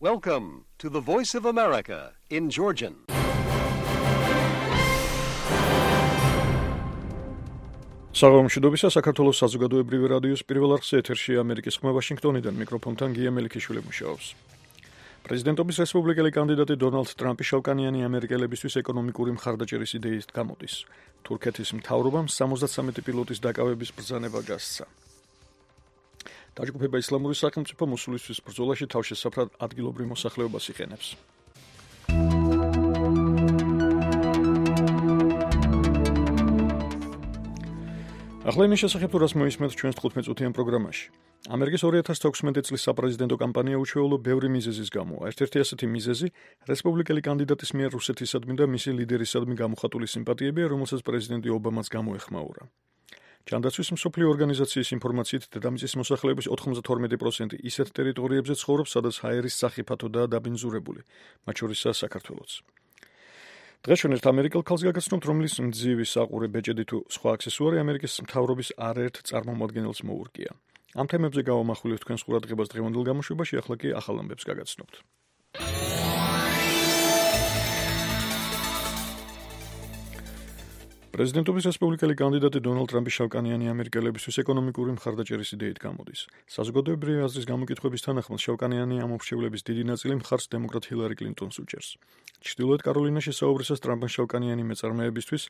Welcome to the Voice of America in Georgian. საღამოშიდობისა საქართველოს საზოგადოებრივი რადიოს პირველ არხზე ეთერში ამერიკის ხმა ვაშინგტონიდან მიკროფონთან გია მელიქიშვილი მუშაობს. პრეზიდენტობის რესპუბლიკელი კანდიდატი დონალდ ტრამპი შავკანიანი ამერიკელებისთვის ეკონომიკური მხარდაჭერის იდეით გამოდის. თურქეთის მთავრობამ 73 პილოტის დაკავების ბრძანება გასცა. დაჯგუფება ისლამური სახელმწიფო მოსულისთვის ბრძოლაში თავშესაფრად ადგილობრივ მოსახლეობას იყენებს. ახლა იმის შესახებ, რას მოისმენთ ჩვენს 15-წუთიან პროგრამაში. ამერიკის 2016 წლის საპრეზიდენტო კამპანია უჩვეულო ბევრი მიზეზის გამო. ერთ-ერთი ასეთი მიზეზი რესპუბლიკელი კანდიდატის მიერ რუსეთისადმი და მისი ლიდერისადმი გამოხატული სიმპათიებია, რომელსაც პრეზიდენტი ობამაც გამოეხმაურა. ჯანდაცვის მსოფლიო ორგანიზაციის ინფორმაციით, დედამიწის მოსახლეობის 92% ისეთ ტერიტორიებზე ცხოვრობს, სადაც ჰაერის სახიფათოდაა დაბინძურებული, მათ შორისაა საქართველოც. დღეს ჩვენ ერთ ამერიკელ ქალს გაგაცნობთ, რომლის მძივი საყურე ბეჭედი თუ სხვა აქსესუარი ამერიკის მთავრობის არაერთ წარმომადგენელს მოურგია. ამ თემებზე გავამახვილებთ თქვენს ყურადღებას დღევანდელ გამოშვებაში, ახლა კი ახალ ამბებს გაგაცნობთ. პრეზიდენტობის რესპუბლიკელი კანდიდატი დონალდ ტრამპი შავკანიანი ამერიკელებისთვის ეკონომიკური მხარდაჭერის იდეით გამოდის. საზოგადოებრივი აზრის გამოკითხების თანახმად შავკანიანი ამომრჩევლების დიდი ნაწილი მხარს დემოკრატ ჰილარი კლინტონს უჭერს. ჩრდილოეთ კაროლინაში საუბრისას ტრამპმა შავკანიანი მეწარმეებისთვის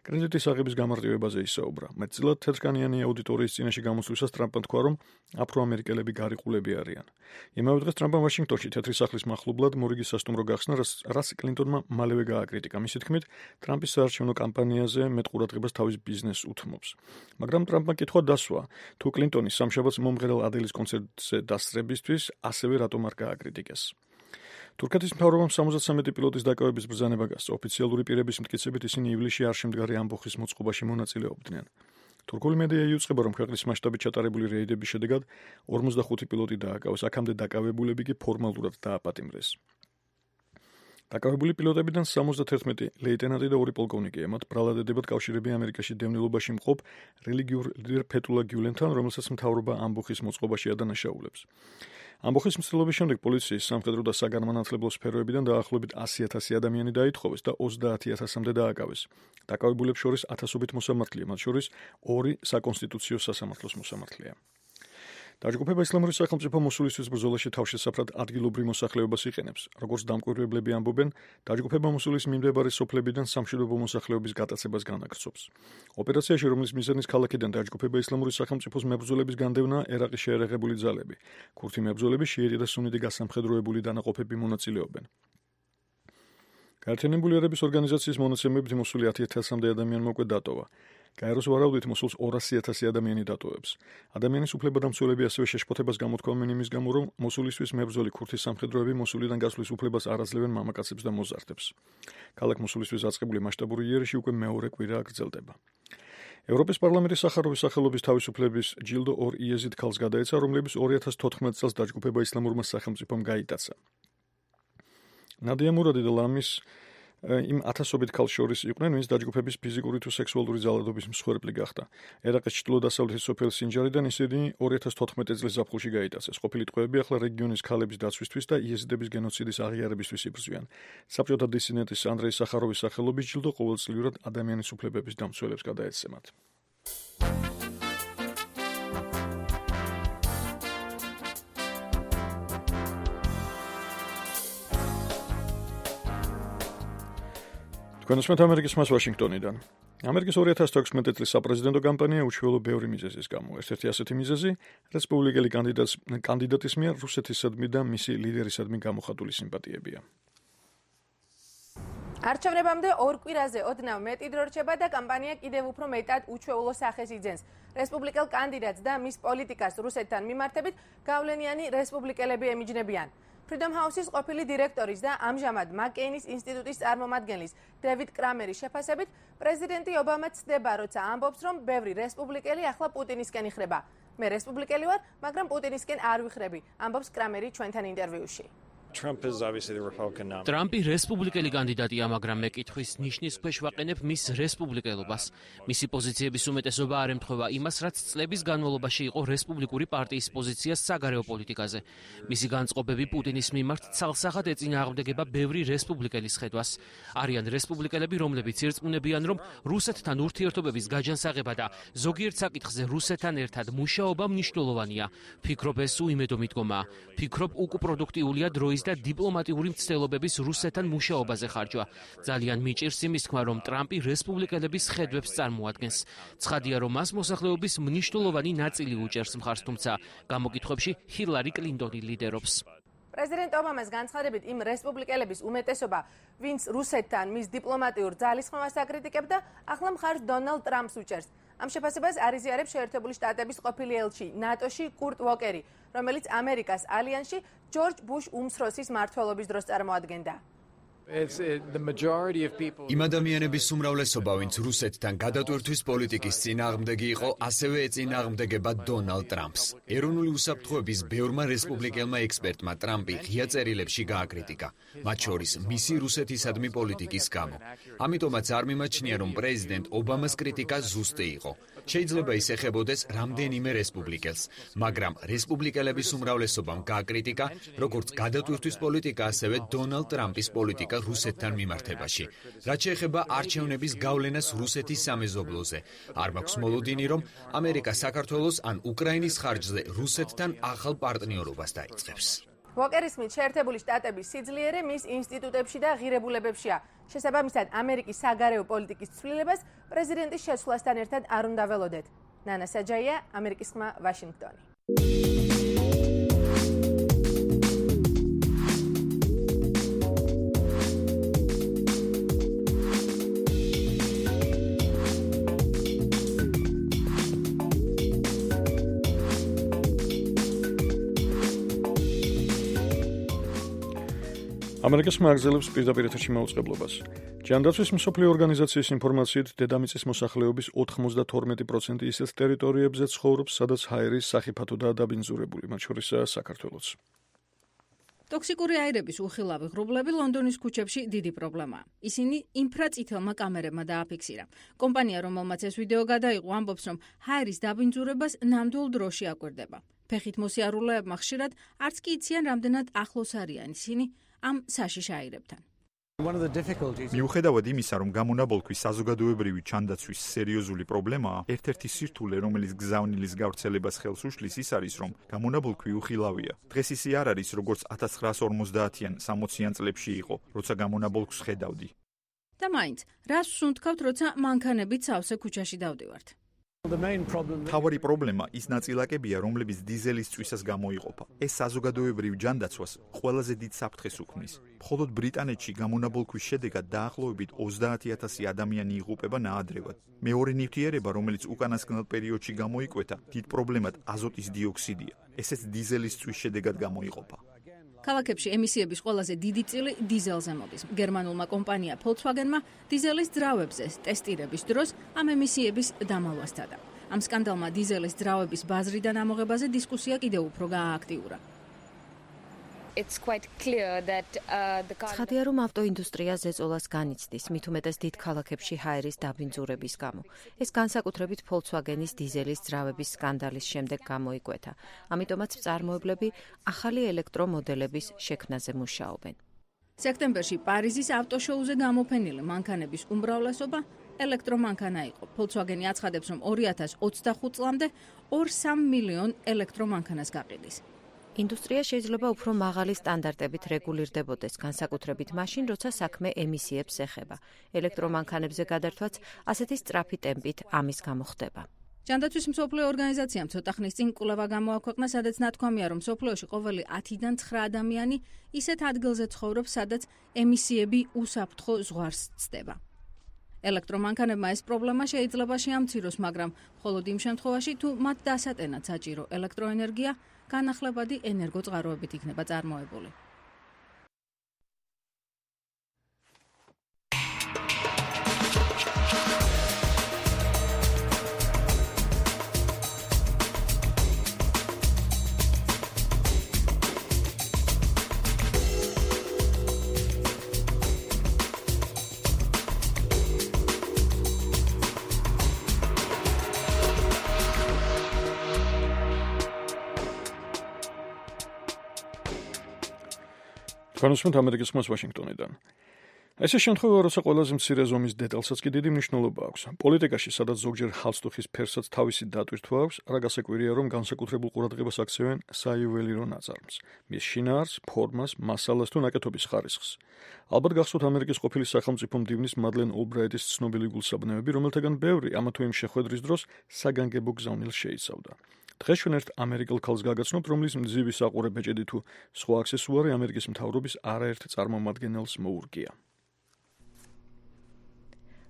კრედიტის აღების გამარტივებაზე ისაუბრა. მეტწილად თეთრკანიანი აუდიტორიის წინაშე გამოსვლისას ტრამპმა თქვა, რომ აფროამერიკელები გარიყულები არიან. იმავე დღეს ტრამპმა ვაშინგტონში თეთრი სახლის მახლობლად მორიგი სასტუმრო გახსნა, რაც კლინტონმა მალევე გააკრიტიკა. მისი თქმით, ტრამპის საარჩევნო კამპანიაზე მეტ ყურადღებას თავის ბიზნესს უთმობს. მაგრამ ტრამპმა კითხვა დასვა, თუ კლინტონი სამშაბათს მომღერალ ადელის კონცერტზე დასწრებისთვის ასევე რატომ არ გააკრიტიკეს. თურქეთის მთავრობამ 73 პილოტის დაკავების ბრძანება გასცა. ოფიციალური პირების მტკიცებით ისინი ივლისში არ შემდგარი ამბოხის მოწყობაში მონაწილეობდნენ. თურქული მედია იუწყება, რომ ქვეყნის მასშტაბით ჩატარებული რეიდების შედეგად 45 პილოტი დააკავეს, აქამდე დაკავებულები კი ფორმალურად დააპატიმრეს. დაკავებული პილოტებიდან 71 ლეიტენანტი და 2 პოლკოვნიკია, მათ ბრალად ედებათ კავშირები ამერიკაში დევნილობაში მყოფ რელიგიურ ლიდერ ფეთულა გიულენთან, რომელსაც მთავრობა ამბოხის მოწყობაში ადანაშაულებს. ამბოხის მსვლელობის შემდეგ პოლიციის სამხედრო და საგანმანათლებლო სფეროებიდან დაახლოებით 100,000 ადამიანი დაითხოვეს და 30,000-მდე დააკავეს. დაკავებულებს შორის 1000-ობით მოსამართლეა, მათ შორის 2 საკონსტიტუციო სასამართლოს მოსამართლეა. დაჯგუფება ისლამური სახელმწიფო მოსულისთვის ბრძოლაში თავშესაფრად ადგილობრივ მოსახლეობას იყენებს. როგორც დამკვირვებლები ამბობენ, დაჯგუფება მოსულის მიმდებარე სოფლებიდან სამშვიდობო მოსახლეობის გატაცებას განაგრძობს. ოპერაციაში, რომლის მიზანიც ქალაქიდან დაჯგუფება ისლამური სახელმწიფოს მებრძოლების განდევნა, ერაყის შეერაღებული ძალები, ქურთი მებრძოლები, შიიტი და სუნიტი გასამხედროებული დანაყოფები მონაწილეობენ. გაერთიანებული ერების ორგანიზაციის მონაცემებით მოსული 10,000-მდე ადამიანმა უკვე დატოვა. გაეროს ვარაუდით მოსულს 200,000 ადამიანი დატოვებს. ადამიანის უფლებადამცველები ასევე შეშფოთებას გამოთქვამენ იმის გამო, რომ მოსულისთვის მებრძოლი ქურთის სამხედროები მოსულიდან გასვლის უფლებას არ აძლევენ მამაკაცებს და მოზარდებს. ქალაქ მოსულისთვის აწყებული მასშტაბური იერიში უკვე მეორე კვირაა გრძელდება. ევროპის პარლამენტის სახაროვის სახელობის თავისუფლების ჯილდო 2 იეზიდ ქალს გადაეცა, რომლებიც 2014 წელს დაჯგუფება ისლამურმა სახელმწიფომ გაიტაცა. ნადია მურადი და ლამის იმ 1000-ობით ქალს შორის იყვნენ, ვინც დაჯგუფების ფიზიკური თუ სექსუალური ძალადობის მსხვერპლი გახდა. ერაყის ჩრდილო-დასავლეთის სოფელ სინჯარიდან ისინი 2014 წლის ზაფხულში გაიტაცეს. ყოფილი ტყვეები ახლა რეგიონის ქალების დაცვისთვის და იეზიდების გენოციდის აღიარებისთვის იბრძვიან. საბჭოთა დისიდენტის ანდრეი სახაროვის სახელობის ჯილდო ყოველწლიურად ადამიანის უფლებების დამცველებს გადაეცემათ. თქვენს ამერიკის ხმას ვაშინგტონიდან. ამერიკის 2016 წლის საპრეზიდენტო კამპანია უჩვეულო ბევრი მიზეზის გამო. ერთ-ერთი ასეთი მიზეზი რესპუბლიკელი კანდიდატის მიერ რუსეთისადმი და მისი ლიდერისადმი გამოხატული სიმპათიებია. არჩევნებამდე 2 კვირაზე ოდნავ მეტი დრო რჩება და კამპანია კიდევ უფრო მეტად უჩვეულო სახეს იძენს. რესპუბლიკელ კანდიდატს და მის პოლიტიკას რუსეთთან მიმართებით გავლენიანი რესპუბლიკელები ემიჯნებიან. Freedom House-ის ყოფილი დირექტორის და ამჟამად მაკეინის ინსტიტუტის წარმომადგენლის დევიდ კრამერის შეფასებით, პრეზიდენტი ობამა ცდება, როცა ამბობს, რომ ბევრი რესპუბლიკელი ახლა პუტინისკენ იხრება. მე რესპუბლიკელი ვარ, მაგრამ პუტინისკენ არ ვიხრები, ამბობს კრამერი ჩვენთან ინტერვიუში. ტრამპი რესპუბლიკელი კანდიდატია, მაგრამ მე კითხვის ნიშნის ქვეშ ვაყენებ მის რესპუბლიკელობას. მისი პოზიციების უმეტესობა არ ემთხვევა იმას, რაც წლების განმავლობაში იყო რესპუბლიკური პარტიის პოზიცია საგარეო პოლიტიკაზე. მისი განწყობები პუტინის მიმართ ცალსახად ეწინააღმდეგება ბევრი რესპუბლიკელის ხედვას. არიან რესპუბლიკელები, რომლებიც ირწმუნებიან, რომ რუსეთთან ურთიერთობების გაჯანსაღება და ზოგიერთ საკითხზე რუსეთთან ერთად მუშაობა მნიშვნელოვანია. ფიქრობ, ეს უიმედო მიდგომაა. ფიქრობ, უკუპროდუქტიულია დროის და დიპლომატიური მცდელობების რუსეთთან მუშაობაზე ხარჯვა. ძალიან მიჭირს იმის თქმა, რომ ტრამპი რესპუბლიკელების ხედვებს წარმოადგენს. ცხადია, რომ მას მოსახლეობის მნიშვნელოვანი ნაწილი უჭერს მხარს, თუმცა გამოკითხვებში ჰილარი კლინტონი ლიდერობს. პრეზიდენტ ობამას განცხადებით იმ რესპუბლიკელების უმეტესობა, ვინც რუსეთთან მის დიპლომატიურ ძალისხმევას აკრიტიკებდა, ახლა მხარს დონალდ ტრამპს უჭერს. ამ შეფასებას არიზიარებს შეერთებული შტატების ყოფილი ელჩი ნატოში კურტ ვოკერი, რომელიც ამერიკას ალიანსში ჯორჯ ბუშ უმცროსის მმართველობის დროს წარმოადგენდა. იმ ადამიანების უმრავლესობა, ვინც რუსეთთან გადატვირთვის პოლიტიკის წინააღმდეგი იყო, ასევე ეწინააღმდეგება დონალდ ტრამპს. ეროვნული უსაფრთხოების ბევრმა რესპუბლიკელმა ექსპერტმა ტრამპი ღია წერილებში გააკრიტიკა, მათ შორის მისი რუსეთისადმი პოლიტიკის გამო. ამიტომაც არ მიმაჩნია, რომ პრეზიდენტ ობამას კრიტიკა ზუსტი იყო. შეიძლება ის ეხებოდეს რამდენიმე რესპუბლიკელს, მაგრამ რესპუბლიკელების უმრავლესობამ გააკრიტიკა როგორც გადატვირთვის პოლიტიკა, ასევე დონალდ ტრამპის პოლიტიკა რუსეთთან მიმართებაში. რაც შეეხება არჩევნების გავლენას რუსეთის სამეზობლოზე, არ მაქვს მოლოდინი, რომ ამერიკა საქართველოს ან უკრაინის ხარჯზე რუსეთთან ახალ პარტნიორობას დაიწყებს. ვოკერის მით შეერთებული შტატების სიძლიერე მის ინსტიტუტებში და ღირებულებებშია. შესაბამისად, ამერიკის საგარეო პოლიტიკის ცვლილებას პრეზიდენტის შეცვლასთან ერთად არ უნდა ველოდეთ. ნანა საჯაია, ამერიკის ხმა, ვაშინგტონი. ამერიკის მაგზელებს პირდაპირ ეთერში მაუწყებლობას. ჯანდაცვის მსოფლიო ორგანიზაციის ინფორმაციით, დედამიწის მოსახლეობის 92% ისეთ ტერიტორიებზე ცხოვრობს, სადაც ჰაერის სახიფათოდაა დაბინძურებული, მათ შორისაა საქართველოც. ტოქსიკური აირების უხილავი ღრუბლები ლონდონის ქუჩებში დიდი პრობლემაა. ისინი ინფრაწითელმა კამერებმა დააფიქსირა. კომპანია, რომელმაც ეს ვიდეო გადაიღო, ამბობს, რომ ჰაერის დაბინძურებას ნამდვილ დროში აკვირდება. ფეხით მოსიარულეებმა ხშირად არც კი იციან, რამდენად ახლოს არიან ისინი ამ საშიშ აირებთან. მიუხედავად იმისა, რომ გამონაბოლქვის საზოგადოებრივი ჩანდაცვის სერიოზული პრობლემაა, ერთ-ერთი სირთულე, რომელიც გზავნილის გავრცელებას ხელს უშლის, ის არის, რომ გამონაბოლქვი უხილავია. დღეს ისე არ არის, როგორც 1950-ან 60-იან წლებში იყო, როცა გამონაბოლქვს ხედავდი. და მაინც, რას ვსუნთქავთ, როცა მანქანებით სავსე ქუჩაში დავდივართ? მთავარი პრობლემა ის ნაწილაკებია, რომლებიც დიზელის წვისას გამოიყოფა. ეს საზოგადოებრივ ჯანდაცვას ყველაზე დიდ საფრთხეს უქმნის. მხოლოდ ბრიტანეთში გამონაბოლქვის შედეგად დაახლოებით 30,000 ადამიანი იღუპება ნაადრევად. მეორე ნივთიერება, რომელიც უკანასკნელ პერიოდში გამოიკვეთა, დიდ პრობლემად აზოტის დიოქსიდია. ესეც დიზელის წვის შედეგად გამოიყოფა. ქალაქებში ემისიების ყველაზე დიდი წილი დიზელზე მოდის. გერმანულმა კომპანია Volkswagen-მა დიზელის ძრავებზე ტესტირების დროს ამ ემისიების დამალვას სცადა. ამ სკანდალმა დიზელის ძრავების ბაზრიდან ამოღებაზე დისკუსია კიდევ უფრო გაააქტიურა. ცხადია, რომ ავტოინდუსტრია ზეწოლას განიცდის, მით უმეტეს დიდ ქალაქებში ჰაერის დაბინძურების გამო. ეს განსაკუთრებით Volkswagen-ის დიზელის ძრავების სკანდალის შემდეგ გამოიკვეთა. ამიტომაც მწარმოებლები ახალი ელექტრომოდელების შექმნაზე მუშაობენ. სექტემბერში პარიზის ავტოშოუზე გამოფენილი მანქანების უმრავლესობა ელექტრომანქანა იყო. Volkswagen-ი აცხადებს, რომ 2025 წლამდე 2-3 მილიონ ელექტრომანქანას გაყიდის. ინდუსტრია შეიძლება უფრო მაღალი სტანდარტებით რეგულირდებოდეს, განსაკუთრებით მაშინ, როცა საქმე ემისიებს ეხება. ელექტრომანქანებზე გადართვაც ასეთი სწრაფი ტემპით ამის გამო ხდება. ჯანდაცვის მსოფლიო ორგანიზაციამ ცოტა ხნის წინ კვლევა გამოაქვეყნა, სადაც ნათქვამია, რომ მსოფლიოში ყოველი 10-დან 9 ადამიანი ისეთ ადგილზე ცხოვრობს, სადაც ემისიები უსაფრთხო ზღვარს ცდება. ელექტრომანქანებმა ეს პრობლემა შეიძლება შეამციროს, მაგრამ მხოლოდ იმ შემთხვევაში, თუ მათ დასატენად საჭირო ელექტროენერგია განახლებადი ენერგოწყაროებით იქნება წარმოებული. Განსვენთ ამერიკის ხმას ვაშინგტონიდან. ეს შემთხვევა, როცა ყველაზე მცირე ზომის დეტალსაც კი დიდი მნიშვნელობა აქვს. პოლიტიკაში, სადაც ზოგჯერ ჰალსტუხის ფერსაც თავისი დატვირთვა აქვს, არა გასაკვირია, რომ განსაკუთრებულ ყურადღებას აქცევენ საიუველირო ნაწარმს, მის შინაარს, ფორმას, მასალას თუ ნაკეთობის ხარისხს. ალბათ გახსოვთ ამერიკის ყოფილი სახელმწიფო მდივნის მადლენ ოლბრაიტის ცნობილი გულსაბნევები, რომელთაგან ბევრი ამა თუ იმ შეხვედრის დროს საგანგებო გზავნილს შეიცავდა. დღეს ჩვენ ერთ ამერიკელ ქალს გაგაცნობთ, რომლის მძივი საყურე ბეჭედი თუ სხვა აქსესუარი ამერიკის მთავრობის არაერთ წარმომადგენელს მოურგია.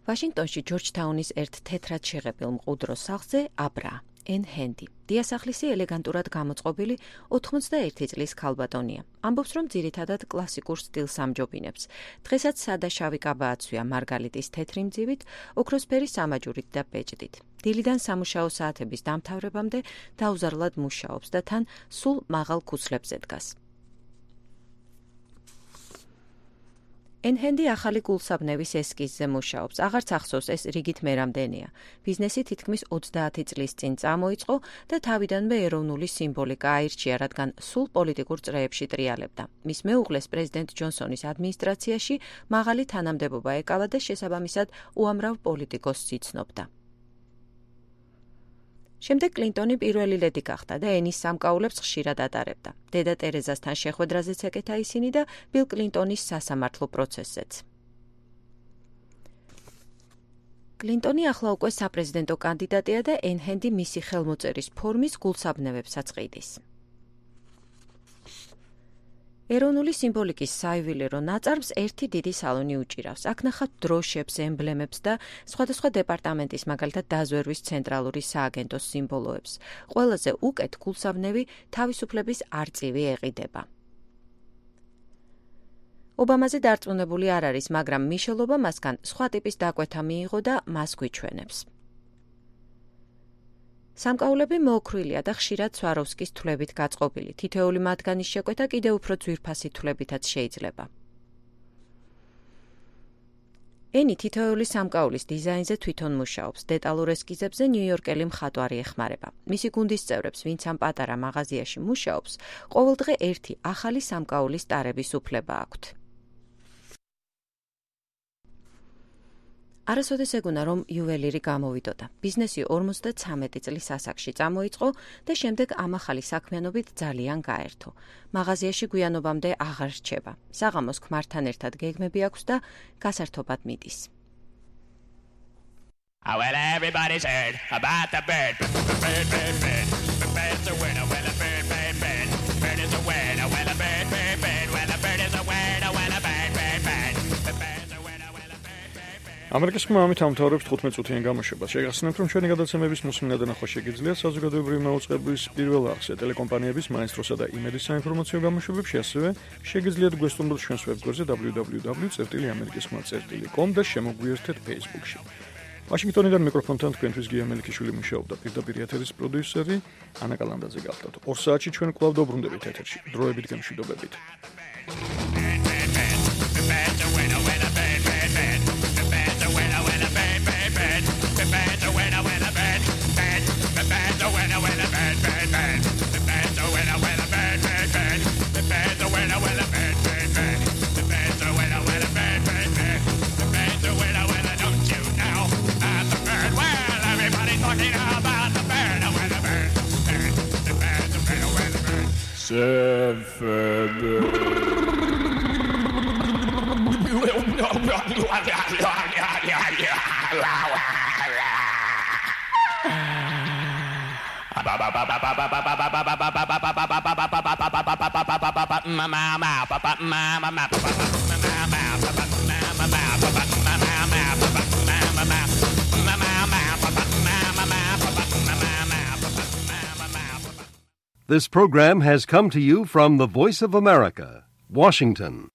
ვაშინგტონში ჯორჯთაუნის ერთ თეთრად შეღებილ მყუდრო სახლზე აბრა ენ ჰენდი. დიასახლისი ელეგანტურად გამოწყობილი 81 წლის ქალბატონია. ამბობს, რომ ძირითადად კლასიკურ სტილს ამჯობინებს. დღესაც სადა შავი კაბა აცვია მარგალიტის თეთრი მძივით, ოქროსფერი სამაჯურით და ბეჭდით. დილიდან სამუშაო საათების დამთავრებამდე დაუზარლად მუშაობს და თან სულ მაღალ ქუცლებზე დგას. ენჰენდი ახალი გულსაბნევის ესკიზზე მუშაობს. აღარც ახსოვს, ეს რიგით მერამდენია. ბიზნესი თითქმის 30 წლის წინ წამოიწყო და თავიდანვე ეროვნული სიმბოლიკა აირჩია, რადგან სულ პოლიტიკურ წრეებში ტრიალებდა. მის მეუღლეს პრეზიდენტ ჯონსონის ადმინისტრაციაში მაღალი თანამდებობა ეკავა და შესაბამისად უამრავ პოლიტიკოსს იცნობდა. შემდეგ კლინტონი პირველი ლედი გახდა და ენის სამკაულებს ხშირად ატარებდა. დედა ტერეზასთან შეხვედრაზეც ეკეთა ისინი და ბილ კლინტონის სასამართლო პროცესზეც. კლინტონი ახლა უკვე საპრეზიდენტო კანდიდატია და ენჰენდი მისი ხელმოწერის ფორმის გულსაბნევებსაც ყიდის. ეროვნული სიმბოლიკის საიუველირო ნაწარმს ერთი დიდი სალონი უჭირავს. აქ ნახავთ დროშებს, ემბლემებს და სხვადასხვა დეპარტამენტის, მაგალითად დაზვერვის ცენტრალური სააგენტოს სიმბოლოებს. ყველაზე უკეთ გულსაბნევი თავისუფლების არწივი ეყიდება. ობამაზე დარწმუნებული არ არის, მაგრამ მიშელ ობამასგან სხვა ტიპის დაკვეთა მიიღო და მას გვიჩვენებს. სამკაულები მოოქრვილია და ხშირად სვაროვსკის თვლებით გაწყობილი. თითოეული მათგანის შეკვეთა კიდევ უფრო ძვირფასი თვლებითაც შეიძლება. ენი თითოეული სამკაულის დიზაინზე თვითონ მუშაობს. დეტალურ ესკიზებზე ნიუ-იორკელი მხატვარი ეხმარება. მისი გუნდის წევრებს, ვინც ამ პატარა მაღაზიაში მუშაობს, ყოველდღე ერთი ახალი სამკაულის ტარების უფლება აქვთ. არასოდეს ეგონა, რომ იუველირი გამოვიდოდა. ბიზნესი 53 წლის ასაკში წამოიწყო და შემდეგ ამ ახალი საქმიანობით ძალიან გაერთო. მაღაზიაში გვიანობამდე აღარ რჩება. საღამოს ქმართან ერთად გეგმები აქვს და გასართობად მიდის. Well, everybody's heard about the bird. Bird, bird, bird. The bird's a winner. Well, a bird, bird, bird. Bird is a winner. Well, a bird, bird, bird. Well, a bird is a winner. Well, a bird, bird, bird. The bird's a winner. Well, a bird, bird, bird. ამერიკის ხმა ამით ამთავრებს 15 წუთიან გამოშვებას. შეგახსენებთ, რომ ჩვენი გადაცემების მოსმენა და ნახვა შეგიძლიათ საზოგადოებრივი მაუწყებლის პირველ არხზე, ტელეკომპანიების მაესტროსა და იმედის საინფორმაციო გამოშვებებში, ასევე შეგიძლიათ გვესტუმროთ ჩვენს ვებგვერდზე www.amerikiskhma.com და შემოგვიერთეთ Facebook-ში. ვაშინგტონიდან მიკროფონთან თქვენთვის გია მელიქიშვილი მუშაობდა, პირდაპირ ეთერის პროდიუსერი ანა კალანდაძე გახლდათ. 2 საათში ჩვენ კვლავ დაუბრუნდებით ეთერში. დროებით გემშვიდობებით. This program has come to you from the Voice of America, Washington.